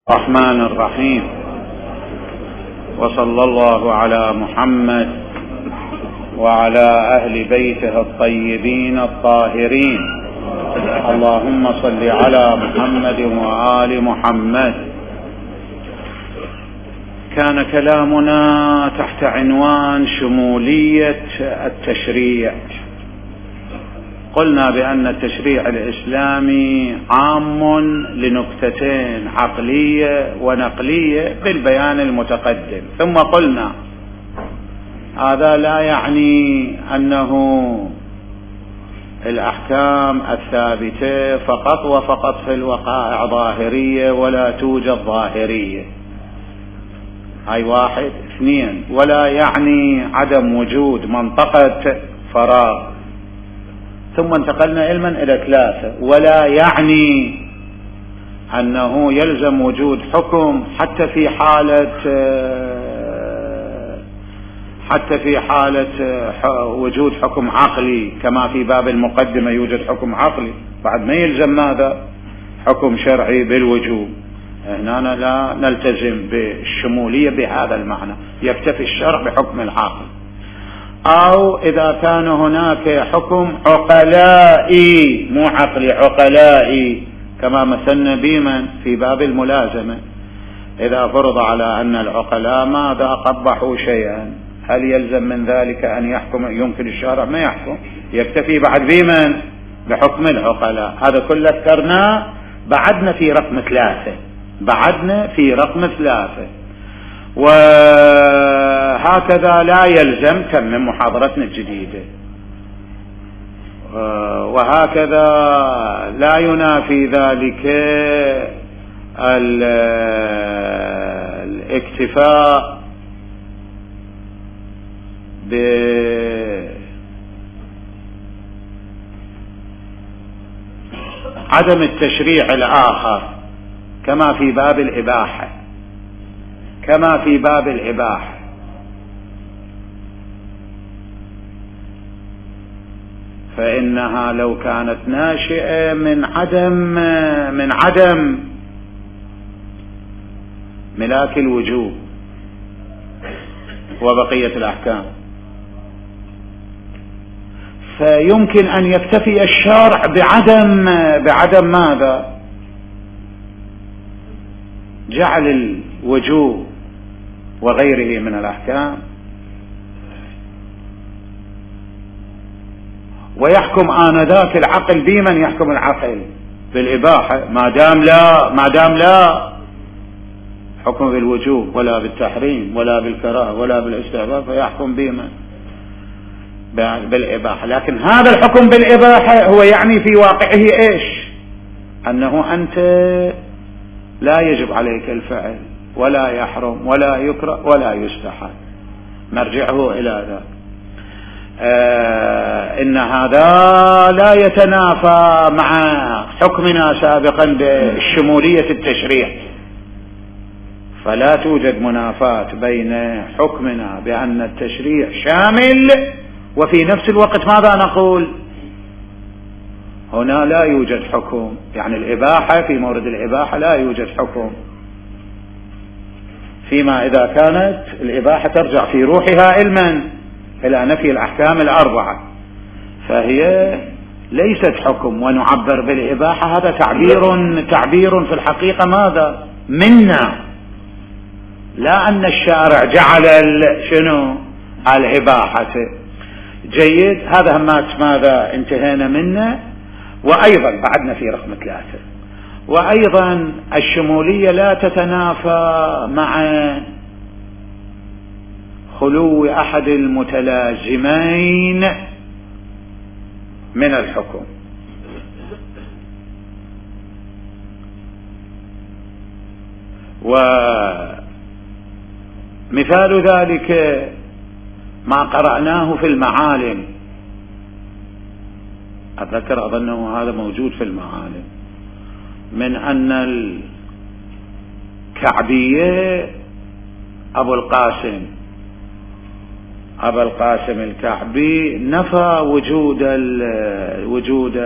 الرحمن الرحيم، وصلى الله على محمد وعلى أهل بيته الطيبين الطاهرين. اللهم صل على محمد وآل محمد. كان كلامنا تحت عنوان شمولية التشريع. قلنا بأن التشريع الإسلامي عام لنكتتين عقلية ونقلية بالبيان المتقدم، ثم قلنا هذا لا يعني أنه الأحكام الثابتة فقط وفقط في الوقائع ظاهرية ولا توجد ظاهرية، هاي واحد. اثنين، ولا يعني عدم وجود منطقة فراغ. ثم انتقلنا علما إلى ثلاثة، ولا يعني أنه يلزم وجود حكم حتى في حالة وجود حكم عقلي، كما في باب المقدمة يوجد حكم عقلي، بعد ما يلزم ماذا؟ حكم شرعي بالوجوب. هنا لا نلتزم بالشمولية بهذا المعنى، يكتفي الشرع بحكم العقل. أو إذا كان هناك حكم عقلائي، مو عقلي، عقلائي، كما مثلنا بمن في باب الملازمة، إذا فرض على أن العقلاء ماذا قبحوا شيئا، هل يلزم من ذلك أن يحكم؟ يمكن الشارع ما يحكم، يكتفي بعد بمن؟ بحكم العقلاء. هذا كله ذكرناه، بعدنا في رقم ثلاثة. وهكذا لا يلزم، كم من محاضرتنا الجديدة، وهكذا لا ينافي ذلك الاكتفاء بعدم التشريع الآخر، كما في باب الإباحة. فإنها لو كانت ناشئة من عدم ملاك الوجوب وبقية الأحكام، فيمكن أن يكتفي الشرع بعدم ماذا؟ جعل الوجوب وغيره من الأحكام، ويحكم آنذاك العقل بمن يحكم العقل؟ بالإباحة، ما دام لا حكم بالوجوب ولا بالتحريم ولا بالكراهة ولا بالاستحباب، فيحكم بمن؟ بالإباحة. لكن هذا الحكم بالإباحة هو يعني في واقعه إيش؟ أنه أنت لا يجب عليك الفعل ولا يحرم ولا يكره ولا يستحب، مرجعه إلى ذلك. إن هذا لا يتنافى مع حكمنا سابقا بشمولية التشريع، فلا توجد منافاة بين حكمنا بأن التشريع شامل وفي نفس الوقت ماذا نقول؟ هنا لا يوجد حكم، يعني الإباحة في مورد الإباحة لا يوجد حكم، فيما إذا كانت الإباحة ترجع في روحها إلى نفي الأحكام الأربعة، فهي ليست حكم. ونعبر بالإباحة، هذا تعبير في الحقيقة ماذا؟ منا، لا أن الشارع جعل الإباحة. جيد، هذا همات ماذا انتهينا منه. وأيضا بعدنا في رقم 3، وأيضا الشمولية لا تتنافى مع خلو أحد المتلازمين من الحكم. ومثال ذلك ما قرأناه في المعالم، أتذكر أظنه هذا موجود في المعالم، من أن الكعبية أبو القاسم الكعبي نفى وجود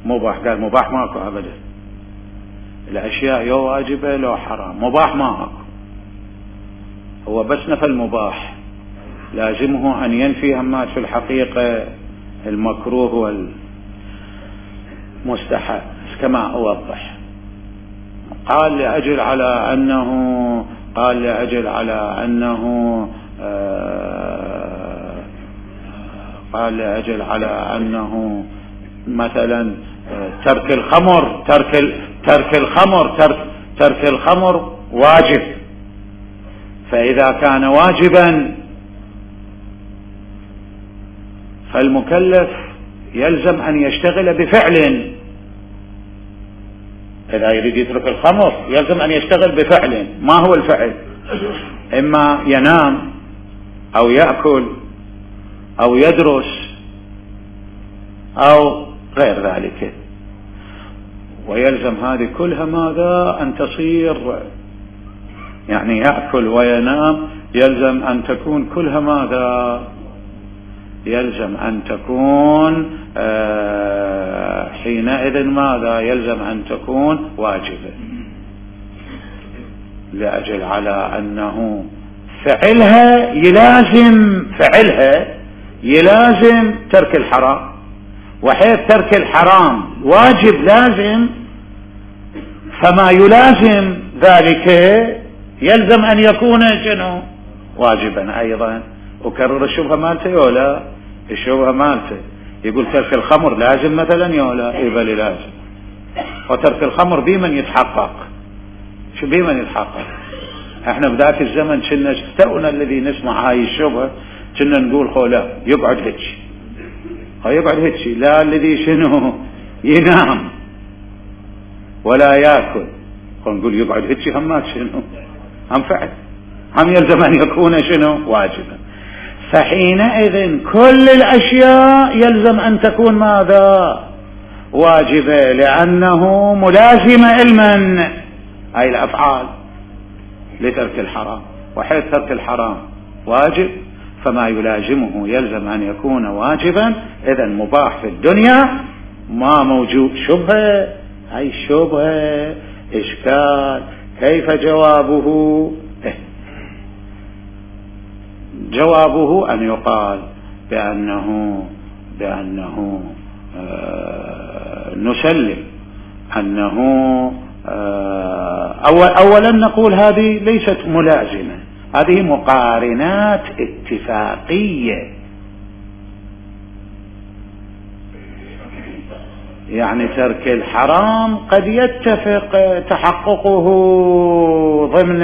المباح، قال مباح ماكو أبدا، الأشياء يو واجبة لو حرام. مباح ما أكو، هو بس نفى المباح، لازمه أن ينفي همات في الحقيقة المكروه والمستحب كما أوضح. قال لأجل على أنه مثلا ترك الخمر واجب، فإذا كان واجبا فالمكلف يلزم أن يشتغل بفعل. إذا يريد يترك الخمر يلزم أن يشتغل بفعل. ما هو الفعل؟ إما ينام أو يأكل أو يدرس أو غير ذلك، ويلزم هذه كلها ماذا؟ أن تصير، يعني يأكل وينام يلزم أن تكون كلها ماذا؟ يلزم أن تكون حينئذ ماذا؟ يلزم أن تكون واجبة، لأجل على أنه فعلها يلازم ترك الحرام، وحيث ترك الحرام واجب لازم، فما يلازم ذلك يلزم أن يكون شنو؟ واجبا أيضا. وكرر الشبهة مالته يولا، الشبهة مالته يقول ترك الخمر لازم مثلا يولا، إبالي لازم، وترك الخمر بمن يتحقق؟ شو بمن يتحقق؟ احنا بذاك الزمن كنا تونا الذي نسمع هاي الشبهة كنا نقول خولا يقعد هيك، لا الذي شنو ينام ولا يأكل، نقول يقعد هيك هم شنو هم فعل، هم يلزم أن يكون شنو واجبا. فحينئذ كل الأشياء يلزم أن تكون ماذا؟ واجبة، لأنه ملازمة علما أي الأفعال لترك الحرام، وحيث ترك الحرام واجب فما يلازمه يلزم أن يكون واجبا. إذا مباح في الدنيا ما موجود شبهة، أي شبهة إشكال. كيف جوابه؟ جوابه أن يقال بأنه نسلم أنه أولا نقول هذه ليست ملازمة، هذه مقارنات اتفاقية، يعني ترك الحرام قد يتفق تحققه ضمن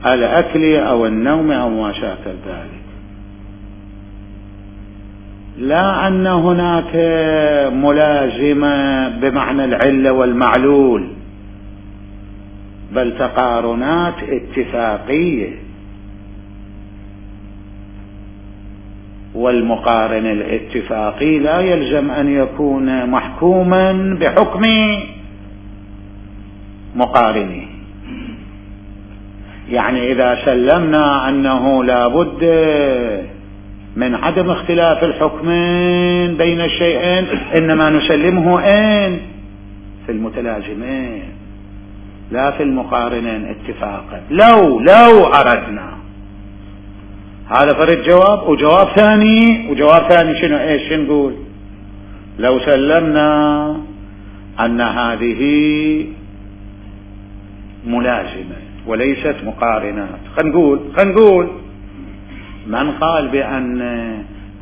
الأكل أو النوم أو ما شاكل ذلك، لا أن هناك ملازمة بمعنى العلة والمعلول، بل تقارنات اتفاقية. والمقارن الاتفاقي لا يلزم أن يكون محكوما بحكم مقارنه. يعني إذا سلمنا أنه لا بد من عدم اختلاف الحكمين بين الشيئين، إنما نسلمه في المتلازمين لا في المقارنين اتفاقا. لو أردنا، هذا فرد جواب. وجواب ثاني شنو؟ ايش نقول؟ لو سلمنا أن هذه ملازمة وليست مقارنات، خنقول من قال بأن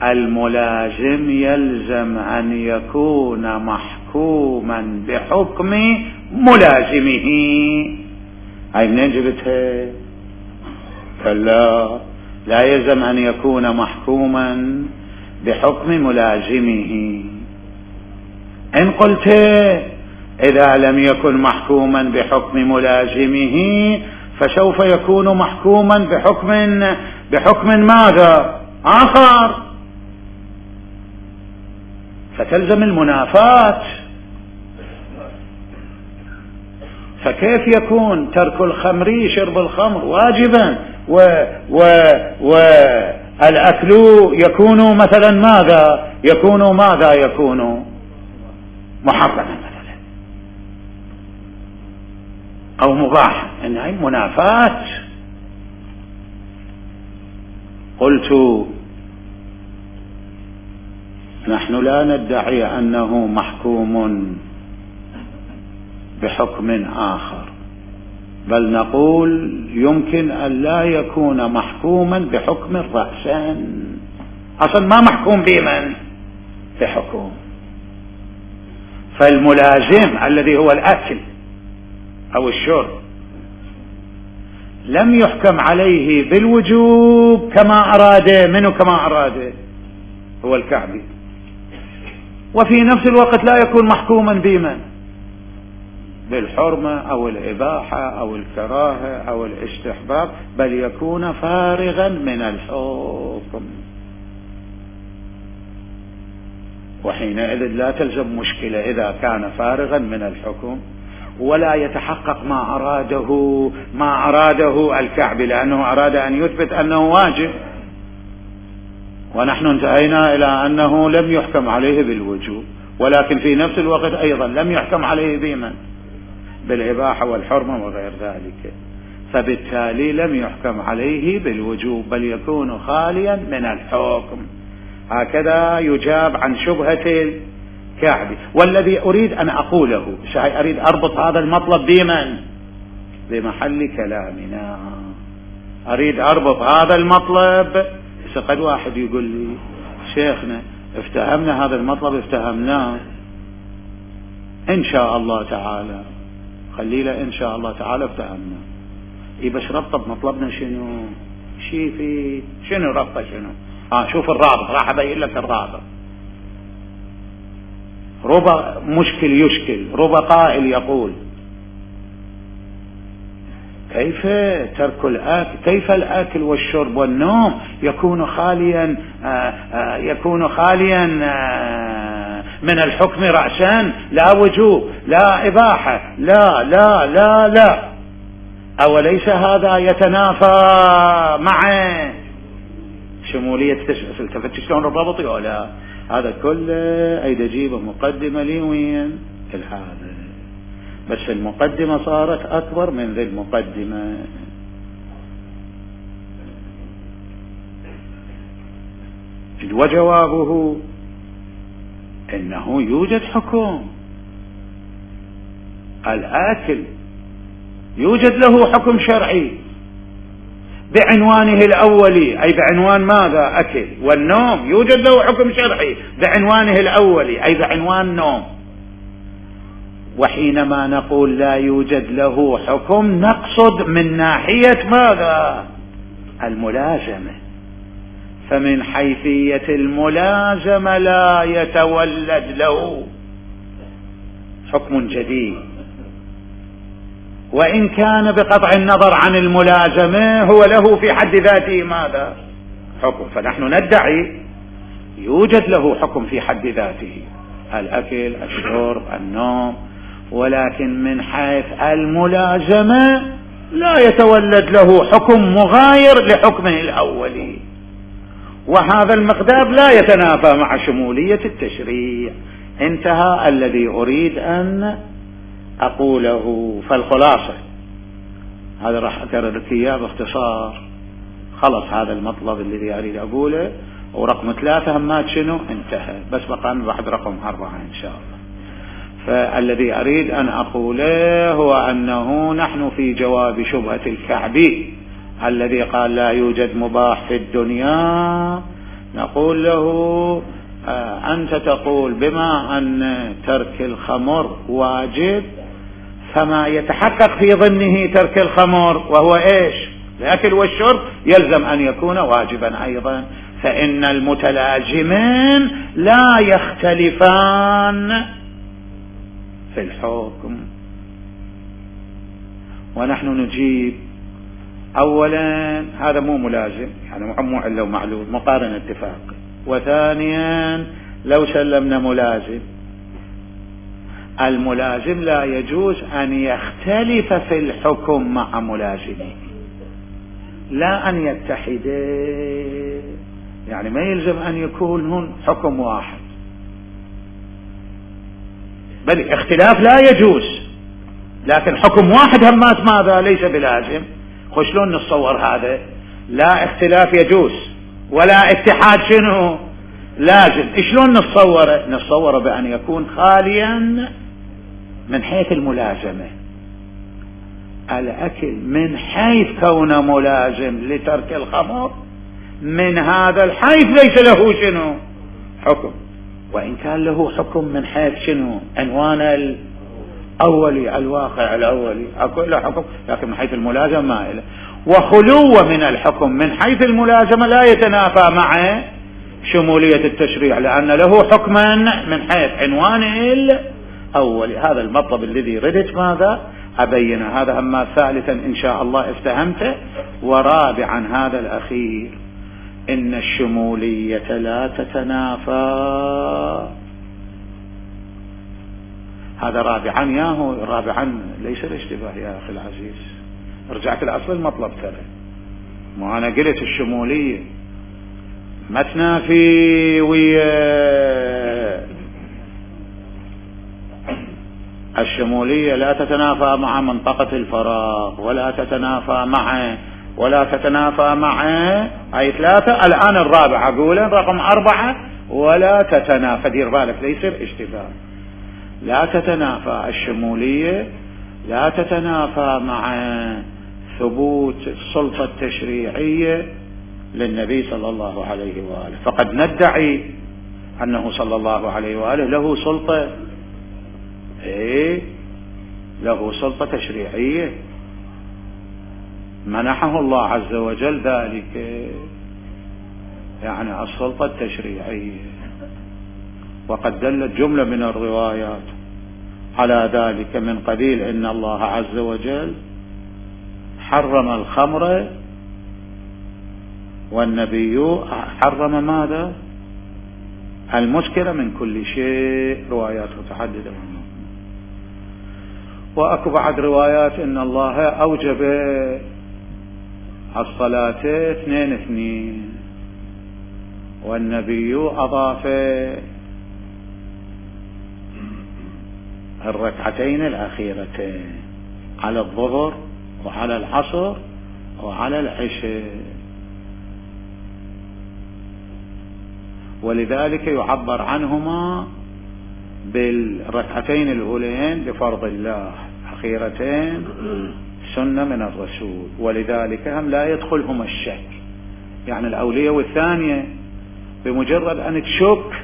الملازم يلزم أن يكون محكوما بحكم ملازمه، هاي منين جبتها؟ كلا، لا يلزم أن يكون محكوما بحكم ملازمه. إن قلت إذا لم يكن محكوما بحكم ملازمه فسوف يكون محكوما بحكم ماذا؟ آخر، فتلزم المنافاة. فكيف يكون ترك الخمر شرب الخمر واجبا والأكل يكون مثلا ماذا؟ يكون محرمة مثلا أو مباحة، إنها منافاة. قلت نحن لا ندعي أنه محكوم بحكم آخر، بل نقول يمكن أن لا يكون محكوما بحكم رأسا، أصلا ما محكوم بمن بحكم. فالملازم الذي هو الأكل أو الشرب لم يحكم عليه بالوجوب كما أراده، منه كما أراده هو الكعبي، وفي نفس الوقت لا يكون محكوما بمن بالحرمة أو الإباحة أو الكراهة أو الاستحباب، بل يكون فارغا من الحكم. وحينئذ لا تلزم مشكلة إذا كان فارغا من الحكم ولا يتحقق ما أراده الكعبي، لأنه أراد أن يثبت أنه واجب، ونحن انتهينا إلى أنه لم يحكم عليه بالوجوب، ولكن في نفس الوقت أيضا لم يحكم عليه بمن بالإباحة والحرمة وغير ذلك، فبالتالي لم يحكم عليه بالوجوب بل يكون خاليا من الحكم. هكذا يجاب عن شبهة الكعبي. والذي أريد أن أقوله، أريد أربط هذا المطلب بمن بمحل كلامنا، أريد أربط هذا المطلب. قد واحد يقول لي شيخنا افتهمنا هذا المطلب، افتهمناه إن شاء الله تعالى، خليله إن شاء الله تعالى افتهمنا. بس ربطه بمطلبنا شنو ربطه شنو؟ شوف الرابط، راح أبين لك الرابط. ربا مشكل يشكل، ربا قائل يقول كيف ترك الأكل، كيف الأكل والشرب والنوم يكون خاليا من الحكم رأسا، لا وجوب لا إباحة لا لا لا لا، أوليس هذا يتنافى مع شمولية التفتش شلون الربط ولا هذا كله؟ أيد أجيبه مقدمة لي وين هذا، بس المقدمة صارت أكبر من ذي المقدمة. وجوابه إنه يوجد حكم الآكل، يوجد له حكم شرعي بعنوانه الأولي، أي بعنوان ماذا؟ أكل. والنوم يوجد له حكم شرعي بعنوانه الأولي، أي بعنوان نوم. وحينما نقول لا يوجد له حكم نقصد من ناحية ماذا؟ الملازمة. فمن حيثية الملازمة لا يتولد له حكم جديد، وإن كان بقطع النظر عن الملازمة هو له في حد ذاته ماذا؟ حكم. فنحن ندعي يوجد له حكم في حد ذاته، الأكل الشرب النوم، ولكن من حيث الملازمة لا يتولد له حكم مغاير لحكمه الأولي، وهذا المقدار لا يتنافى مع شمولية التشريع. انتهى الذي أريد أن أقوله. فالخلاصة هذا راح أكرر لك إياه باختصار، خلص هذا المطلب الذي أريد أقوله. ورقم 3 همات شنو انتهى، بس بقى بعد رقم 4 إن شاء الله. فالذي أريد أن أقوله هو أنه نحن في جواب شبهة الكعبي الذي قال لا يوجد مباح في الدنيا، نقول له أنت تقول بما أن ترك الخمر واجب، فما يتحقق في ضمنه ترك الخمر وهو إيش؟ الأكل والشرب، يلزم أن يكون واجبا أيضا. فإن المتلازمين لا يختلفان في الحكم. ونحن نجيب أولا هذا مو ملازم، يعني مو علة ومعلول، مقارنة اتفاق. وثانيا لو سلمنا ملازم، الملازم لا يجوز أن يختلف في الحكم مع ملازمه، لا أن يتحدا، يعني ما يلزم أن يكون هن حكم واحد. بل اختلاف لا يجوز، لكن حكم واحد همات ماذا ليس بلازم. شلون نتصور هذا؟ لا اختلاف يجوز ولا اتحاد شنو لازم. شلون نتصوره بأن يكون خاليا من حيث الملازمة. الأكل من حيث كونه ملازم لترك الخمر من هذا الحيث ليس له شنو حكم، وإن كان له حكم من حيث شنو عنوان الأولي الواقع الأولي أكو له حكم، لكن من حيث الملازمة ما له. وخلوه من الحكم من حيث الملازمة لا يتنافى مع شمولية التشريع، لأن له حكما من حيث عنوان الأولي. هذا المطلب الذي ردت ماذا أبين. هذا أما ثالثا إن شاء الله افتهمته. ورابعا هذا الأخير، إن الشمولية لا تتنافى. هذا رابعا ياهو، رابعا ليس الاشتباه يا أخي العزيز. رجعت الأصل المطلب ترى، ما أنا قلت الشمولية ما تنافي ويا الشمولية لا تتنافى مع منطقة الفراغ ولا تتنافى مع أي ثلاثة. الآن الرابعة أقول رقم 4 ولا تتنافى. دير بالك ليس اشتباه. لا تتنافى الشمولية، لا تتنافى مع ثبوت السلطة التشريعية للنبي صلى الله عليه وآله. فقد ندعي أنه صلى الله عليه وآله له سلطة، له سلطة تشريعية منحه الله عز وجل ذلك، يعني السلطة التشريعية. وقد دلت جملة من الروايات على ذلك من قبيل إن الله عز وجل حرم الخمر والنبي حرم ماذا؟ المسكر من كل شيء. روايات متعددة منه. وأكو بعد روايات إن الله أوجب الصلاة 2-2 والنبي أضاف الركعتين الأخيرتين على الظهر وعلى العصر وعلى العشاء. ولذلك يعبر عنهما بالركعتين الأولين بفرض الله، أخيرتين سنة من الرسول. ولذلك هم لا يدخلهما الشك، يعني الأولية والثانية بمجرد أن تشك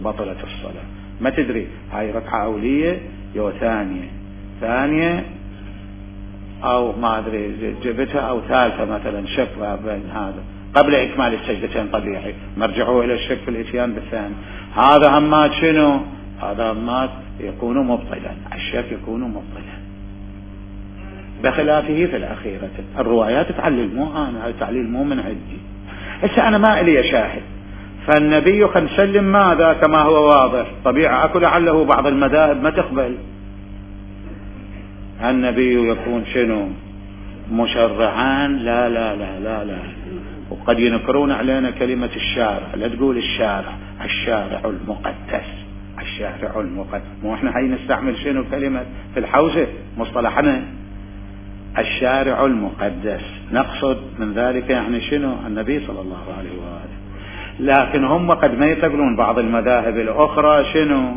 بطلت الصلاة. ما تدري هاي ركعة أولية يو ثانية أو ما أدري جبتها أو ثالثة مثلا، شك بين هذا قبل إكمال السجدتين طبيعي، مرجعوا إلى الشك في الإتيان بالثاني. هذا همات شنو؟ هذا همات يكون مبطلا، الشك يكون مبطلا بخلافه في الأخيرة. الروايات تعلل، مو أنا، هذا تعليل مو من عندي. هسه أنا ما إلي شاهد. فالنبي خل نسلم ماذا كما هو واضح طبيعة. أكو لعله بعض المذاهب ما تقبل النبي يكون شنو مشرعا. لا لا لا لا لا. وقد ينكرون علينا كلمة الشارع. لا تقول الشارع المقدس، الشارع المقدس. مو احنا هاي نستعمل شنو كلمة في الحوزة مصطلحنا الشارع المقدس، نقصد من ذلك يعني شنو النبي صلى الله عليه وآله. لكن هم قد ما يتقبلون بعض المذاهب الأخرى شنو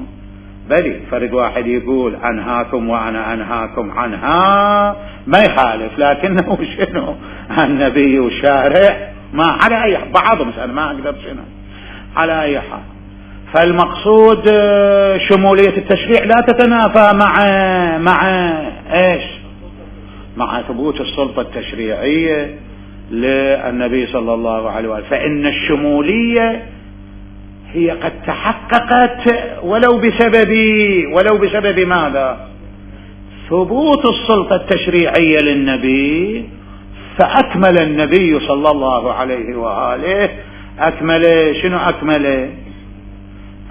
بلي فرد واحد يقول أنهاكم وأنا أنهاكم عنها ما يخالف، لكنه شنو النبي وشارع ما على أي بعضهم. أنا ما أقدر شنو على أي حال. فالمقصود شمولية التشريع لا تتنافى مع إيش؟ مع ثبوت السلطة التشريعية للنبي صلى الله عليه وسلم. فإن الشمولية هي قد تحققت ولو بسبب ماذا؟ ثبوت السلطة التشريعية للنبي. فأكمل النبي صلى الله عليه وآله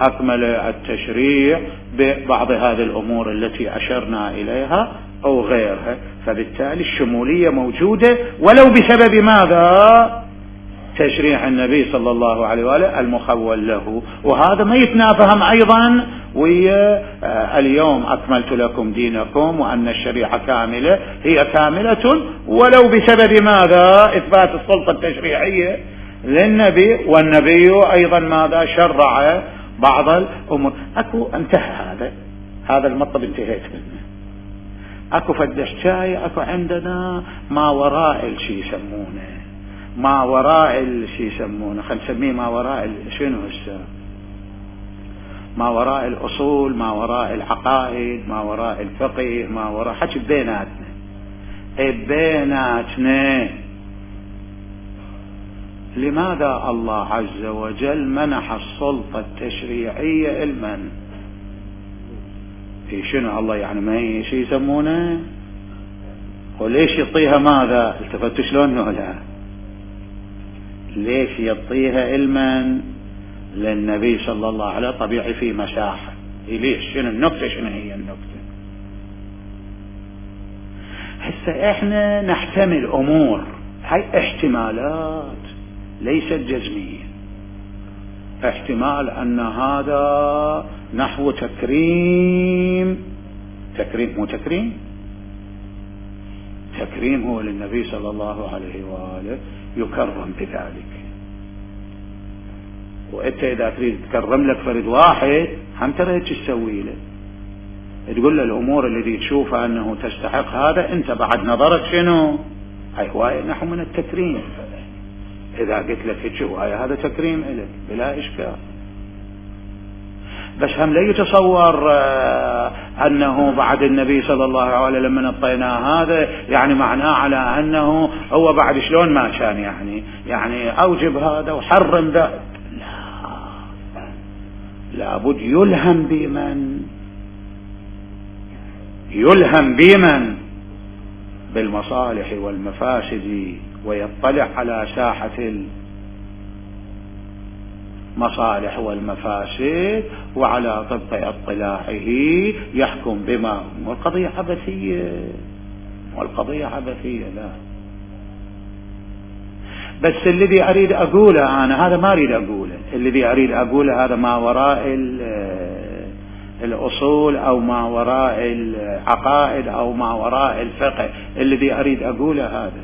أكمل التشريع ببعض هذه الأمور التي أشرنا إليها أو غيرها. فبالتالي الشمولية موجودة ولو بسبب ماذا؟ تشريع النبي صلى الله عليه وآله المخول له. وهذا ما يتنافهم أيضا ويا اليوم أكملت لكم دينكم وأن الشريعة كاملة، هي كاملة ولو بسبب ماذا؟ إثبات السلطة التشريعية للنبي، والنبي أيضا ماذا؟ شرع بعض الأمور. أكو انتهى هذا المطلب، انتهيت منه. أكو فد حكاية، أكو عندنا ما وراء الشي يسمونه، ما وراء الشي يسمونه، خلينا نسميه ما وراء شنو هسه؟ ما وراء الأصول، ما وراء العقائد، ما وراء الفقه، ما وراء حكي بيناتنا. لماذا الله عز وجل منح السلطة التشريعية المن؟ في شنو الله يعني ما هي شيء يسمونه؟ وليش يعطيها ماذا؟ التفتوا شلون ولا ليش يعطيها علما للنبي صلى الله عليه وسلم؟ طبيعي في مساحة. ليش؟ شنو النكتة؟ شنو هي النكتة؟ هسه احنا نحتمل امور، هاي احتمالات ليست جزمية. احتمال ان هذا نحو تكريم مو تكريم هو للنبي صلى الله عليه وآله، يكرم بذلك. وانت اذا تريد تكرم لك فرد واحد هم ترى هيك تسوي له، تقول له الامور التي تشوفها انه تستحق هذا، انت بعد نظرك شنو؟ هاي هواية نحو من التكريم. اذا قلت لك هيك هواية هذا تكريم لك بلا اشكال. بس هم لا يتصور انه بعد النبي صلى الله عليه وسلم لما نطيناه هذا يعني معناه على انه هو بعد شلون ما كان، يعني اوجب هذا وحرم ذا. لابد يلهم بمن بالمصالح والمفاسد، ويطلع على ساحة المصالح والمفاسد، وعلى طبق اطلاعه يحكم بما. والقضية عبثية لا. بس الذي أريد أقوله أنا هذا ما أريد أقوله، الذي أريد أقوله هذا ما وراء الأصول أو ما وراء العقائد أو ما وراء الفقه. الذي أريد أقوله هذا،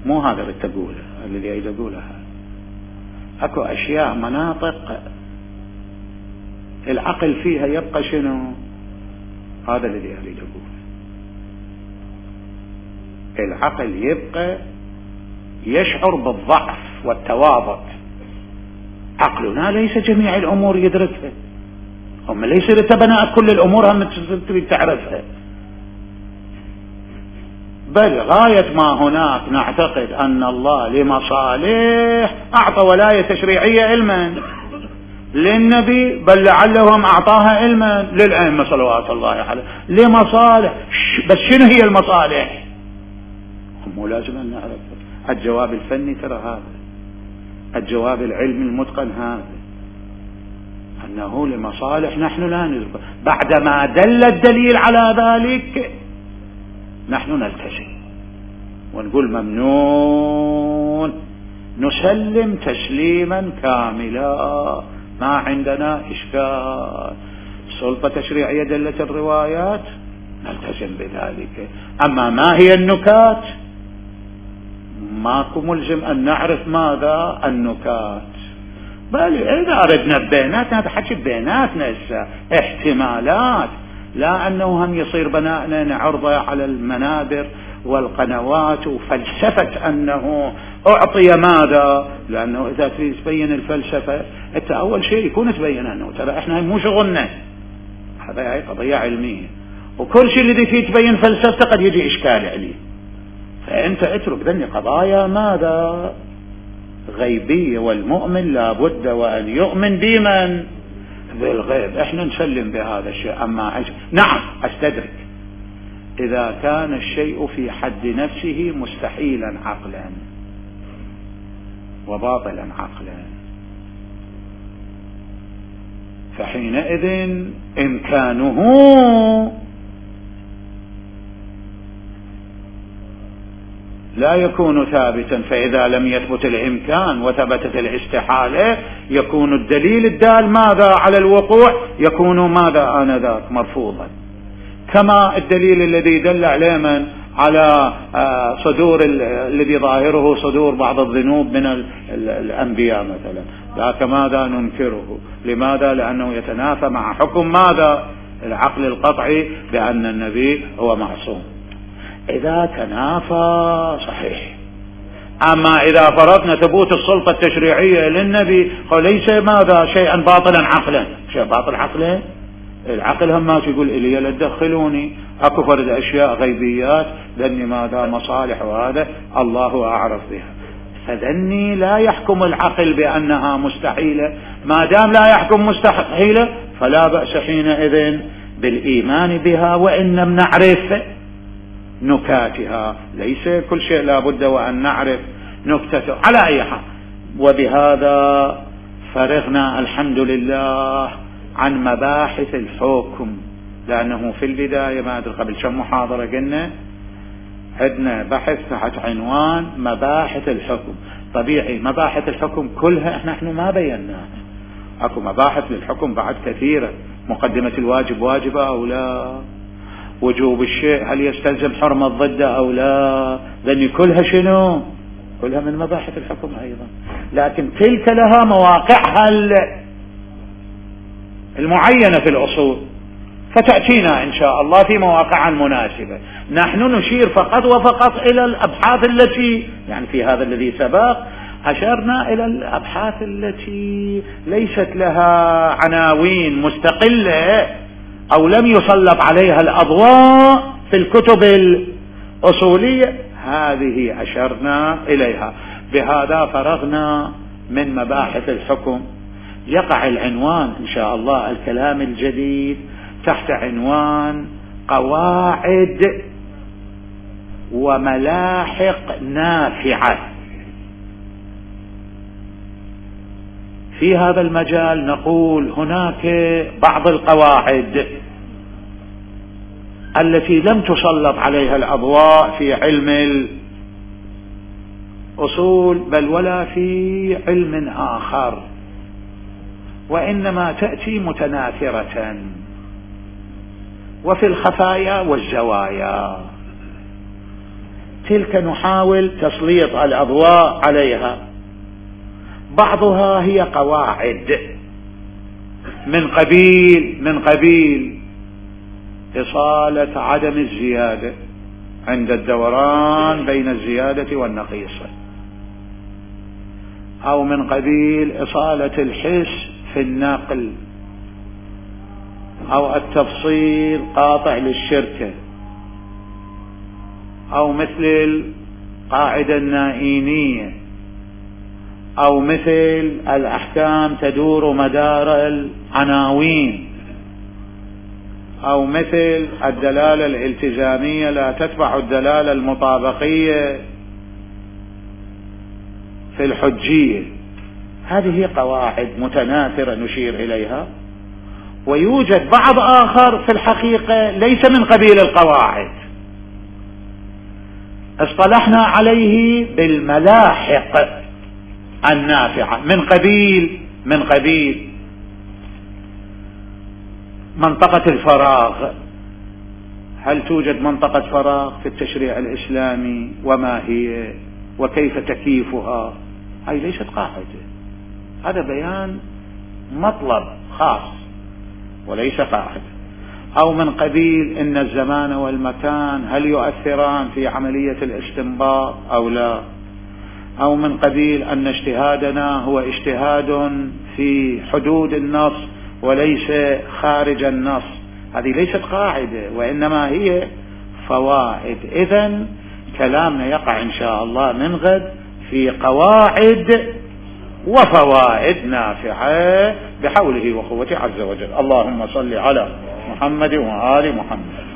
مو هذا اللي تقوله، الذي أريد أقوله هذا. أكو أشياء مناطق العقل فيها يبقى شنو؟ هذا الذي أريد أقوله. العقل يبقى يشعر بالضعف والتواضع. عقلنا ليس جميع الأمور يدركها، هم ليس لتبناء كل الأمور هم تريد تعرفها، بل غاية ما هناك نعتقد أن الله لمصالح أعطى ولاية تشريعية علما للنبي، بل لعلهم أعطاها علما للأئمة صلوات الله عليه لمصالح. بس شنو هي المصالح؟ هم لازم أن نعرف. الجواب الفني ترى هذا، الجواب العلمي المتقن هذا، أنه لمصالح نحن لا نزبط. بعدما دل الدليل على ذلك نحن نلتزم ونقول ممنون، نسلم تسليما كاملا، ما عندنا إشكال. سلطة تشريعية دلت الروايات نلتزم بذلك. أما ما هي النكات؟ ماكو ملزم أن نعرف ماذا النكات، بل إذا أردنا بيناتنا، هذا حكي بيناتنا احتمالات، لا أنه هم يصير بناءنا عرضة على المنابر والقنوات وفلسفة أنه أعطي ماذا. لأنه إذا تريد تبين الفلسفة أنت أول شيء يكون تبين أنه ترى إحنا مو شغلنا، هذا قضية علمية، وكل شيء الذي فيه تبين فلسفة قد يجي إشكال عليه. فأنت اترك ذني قضايا ماذا؟ غيبية، والمؤمن لابد وأن يؤمن بمن؟ بالغيب. احنا نسلم بهذا الشيء. أما نعم أستدرك إذا كان الشيء في حد نفسه مستحيلا عقلا وباطلا عقلا، فحينئذ إمكانه لا يكون ثابتا، فإذا لم يثبت الإمكان وثبتت الاستحالة يكون الدليل الدال ماذا على الوقوع يكون ماذا آنذاك مرفوضا، كما الدليل الذي دل عليه من على صدور الذي ظاهره صدور بعض الذنوب من الأنبياء مثلا، ذاك ماذا ننكره. لماذا؟ لأنه يتنافى مع حكم ماذا العقل القطعي بأن النبي هو معصوم. إذا تنافى صحيح. أما إذا فرضنا ثبوت السلطة التشريعية للنبي ليس ماذا شيئا باطلا عقلا، شيء باطل عقلا، العقل هم ما يقول إلي لا تدخلوني، أكو فرد أشياء غيبيات لأني ماذا مصالح وهذا الله أعرف بها، فذني لا يحكم العقل بأنها مستحيلة. ما دام لا يحكم مستحيلة فلا بأس حينئذ بالإيمان بها وإن لم نعرف نكاتها، ليس كل شيء لا بد وأن نعرف نكتته. على أي حال، وبهذا فرغنا الحمد لله عن مباحث الحكم، لأنه في البداية ما أدري قبل كم محاضرة قلنا عندنا بحث تحت عنوان مباحث الحكم. طبيعي مباحث الحكم كلها نحن ما بيناها، اكو مباحث للحكم بعد كثيرة، مقدمة الواجب واجبة أو لا، وجوب الشيء هل يستلزم حرمة ضده أو لا، لأن كلها شنو؟ كلها من مباحث الحكم أيضا، لكن تلك لها مواقعها المعينة في الأصول، فتأتينا إن شاء الله في مواقعها المناسبة. نحن نشير فقط وفقط إلى الأبحاث التي يعني في هذا الذي سبق أشرنا إلى الأبحاث التي ليست لها عناوين مستقلة أو لم يسلط عليها الأضواء في الكتب الأصولية، هذه أشرنا إليها. بهذا فرغنا من مباحث الحكم. يقع العنوان إن شاء الله الكلام الجديد تحت عنوان قواعد وملاحق نافعة. في هذا المجال نقول هناك بعض القواعد التي لم تسلط عليها الأضواء في علم الأصول بل ولا في علم آخر، وإنما تأتي متناثرة وفي الخفايا والزوايا، تلك نحاول تسليط الأضواء عليها. بعضها هي قواعد من قبيل إصالة عدم الزيادة عند الدوران بين الزيادة والنقيصة، أو من قبيل إصالة الحس في النقل، أو التفصيل قاطع للشركة، أو مثل القاعدة النائينية، أو مثل الأحكام تدور مدار العناوين، أو مثل الدلالة الالتزامية لا تتبع الدلالة المطابقية في الحجية. هذه قواعد متناثرة نشير إليها. ويوجد بعض آخر في الحقيقة ليس من قبيل القواعد، اصطلحنا عليه بالملاحق النافعة، من قبيل منطقة الفراغ. هل توجد منطقة فراغ في التشريع الإسلامي؟ وما هي؟ وكيف تكييفها؟ هذه ليست قاعدة، هذا بيان مطلب خاص وليس قاعدة. أو من قبيل إن الزمان والمكان هل يؤثران في عملية الاستنباط أو لا؟ أو من قبيل أن اجتهادنا هو اجتهاد في حدود النص وليس خارج النص. هذه ليست قاعدة وإنما هي فوائد. إذن كلامنا يقع إن شاء الله من غد في قواعد وفوائد نافعة بحوله وقوته عز وجل. اللهم صل على محمد وآل محمد.